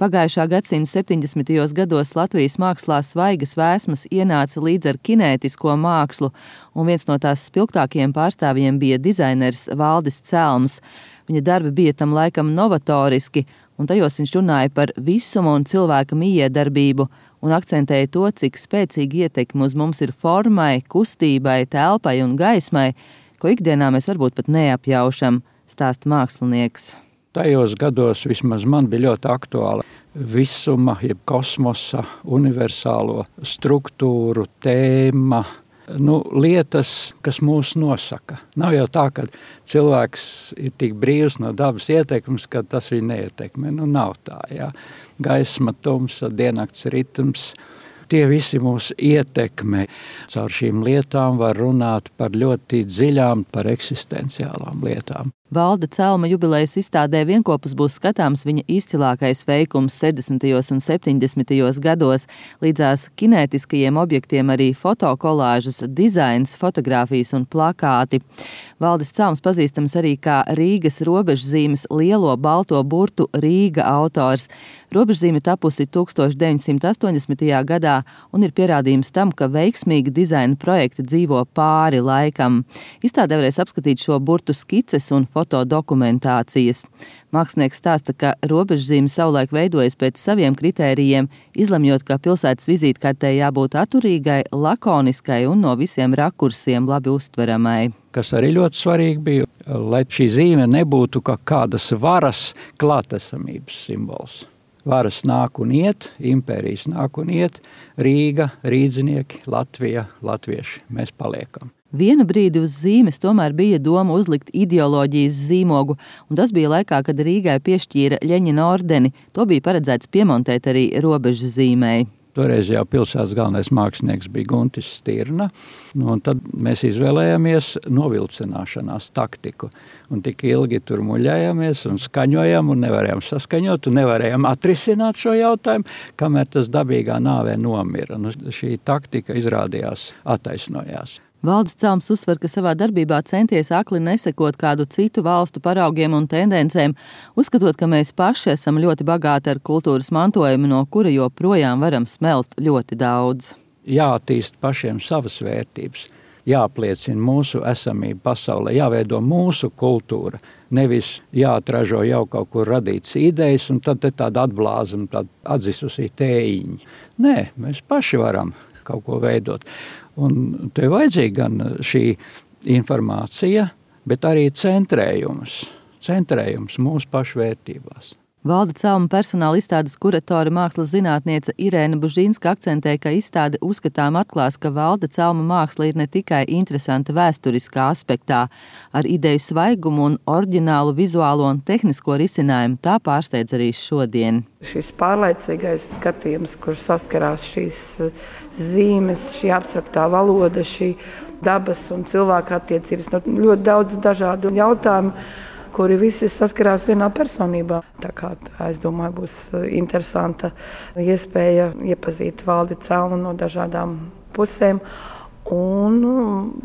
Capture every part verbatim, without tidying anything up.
Pagājušā gadsimta septiņdesmitajos gados Latvijas mākslā svaigas vēsmas ienāca līdz ar kinētisko mākslu, un viens no tās spilgtākajiem pārstāvjiem bija dizainers Valdis Celms. Viņa darbi bija tam laikam novatoriski, un tajos viņš runāja par visumu un cilvēka mijiedarbību, un akcentēja to, cik spēcīgi ietekmi uz mums ir formai, kustībai, telpai un gaismai, ko ikdienā mēs varbūt pat neapjaušam, stāsta mākslinieks. Tajos gados vismaz man bija ļoti aktuāla visuma, jeb kosmosa, universālo struktūru, tēma, nu, lietas, kas mūs nosaka. Nav jau tā, ka cilvēks ir tik brīvs no dabas ietekmes, ka tas viņu neietekmē. Nu, nav tā, jā. Gaisma, tumsa, diennakts ritms, tie visi mūs ietekmē. Caur šīm lietām var runāt par ļoti dziļām, par eksistenciālām lietām. Valda Celma jubilejas izstādē vienopus būs skatāms viņa izcilākais veikums sešdesmitajos un septiņdesmitajos gados. Līdzās kinētiskajiem objektiem arī fotokolāžas, dizains, fotogrāfijas un plakāti. Valdis Celms pazīstams arī kā Rīgas robežzīmes lielo balto burtu Rīga autors. Robežzīme tapusi tūkstoš deviņsimt astoņdesmitajā gadā un ir pierādījums tam, ka veiksmīgi dizaina projekti dzīvo pāri laikam. Izstādē varēs apskatīt šo burtu skices un fotodokumentācijas. Mākslinieks stāsta, ka robežzīme savulaik veidojas pēc saviem kritērijiem, izlemjot, ka pilsētas vizītkartei jābūt atturīgai, lakoniskai un no visiem rakursiem labi uztveramai. Kas arī ļoti svarīgi bija, lai šī zīme nebūtu kā kādas varas klātesamības simbols. Varas nāk un iet, impērijas nāk un iet, Rīga, rīdzinieki, Latvija, latvieši, mēs paliekam. Vienu brīdi uz zīmes tomēr bija doma uzlikt ideoloģijas zīmogu, un tas bija laikā, kad Rīgai piešķīra Ļeņina ordeni. To bija paredzēts piemontēt arī robežzīmei. Toreiz jau pilsētas galvenais mākslinieks bija Guntis Stirna, nu, un tad mēs izvēlējāmies novilcināšanās taktiku. Un tik ilgi tur muļējāmies un skaņojām un nevarējām saskaņot un nevarējām atrisināt šo jautājumu, kamēr tas dabīgā nāvē nomira. Nu, šī taktika izrādījās attaisnojās. Valdis Celms uzsver, ka savā darbībā centies akli nesekot kādu citu valstu paraugiem un tendencēm, uzskatot, ka mēs paši esam ļoti bagāti ar kultūras mantojumu, no kura joprojām varam smelt ļoti daudz. Jāattīst pašiem savas vērtības, jāapliecina mūsu esamība pasaulē, jāveido mūsu kultūra, nevis jāatražo jau kaut kur radītas idejas un tad te tāda atblāza un tāda atdzisusī tējiņi. Nē, mēs paši varam kaut ko veidot. Un te vajadzīga gan šī informācija, bet arī centrējums, centrējums mūsu pašu vērtībās. Valda Celma personāla izstādes kuratore mākslas zinātniece Irēna Bužīnska akcentē, ka izstāde uzskatām atklās, ka Valda Celma māksla ir ne tikai interesanta vēsturiskā aspektā, ar ideju svaigumu un oriģinālu vizuālo un tehnisko risinājumu, tā pārsteidz arī šodien. Šis pārlaicīgais skatījums, kur saskarās šīs zīmes, šī abstraktā valoda, šī dabas un cilvēka attiecības, ļoti daudz dažādu jautājumu, kuri visi saskarās vienā personībā. Tā kā es domāju, būs interesanta iespēja iepazīt Valdi Celmu no dažādām pusēm un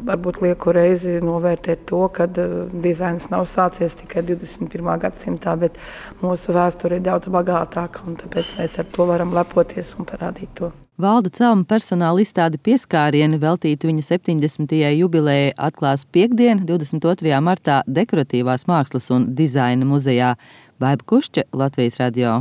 varbūt lieku reizi novērtēt to, ka dizains nav sācies tikai divdesmit pirmā gadsimtā, bet mūsu vēsture ir daudz bagātāka un tāpēc mēs ar to varam lepoties un parādīt to. Valda Celma personāla izstāde Pieskārieni veltītu viņa septiņdesmitajai jubilejai atklās piektdien, divdesmit otrajā martā Dekoratīvās mākslas un dizaina muzejā. Baiba Kušķe, Latvijas radio.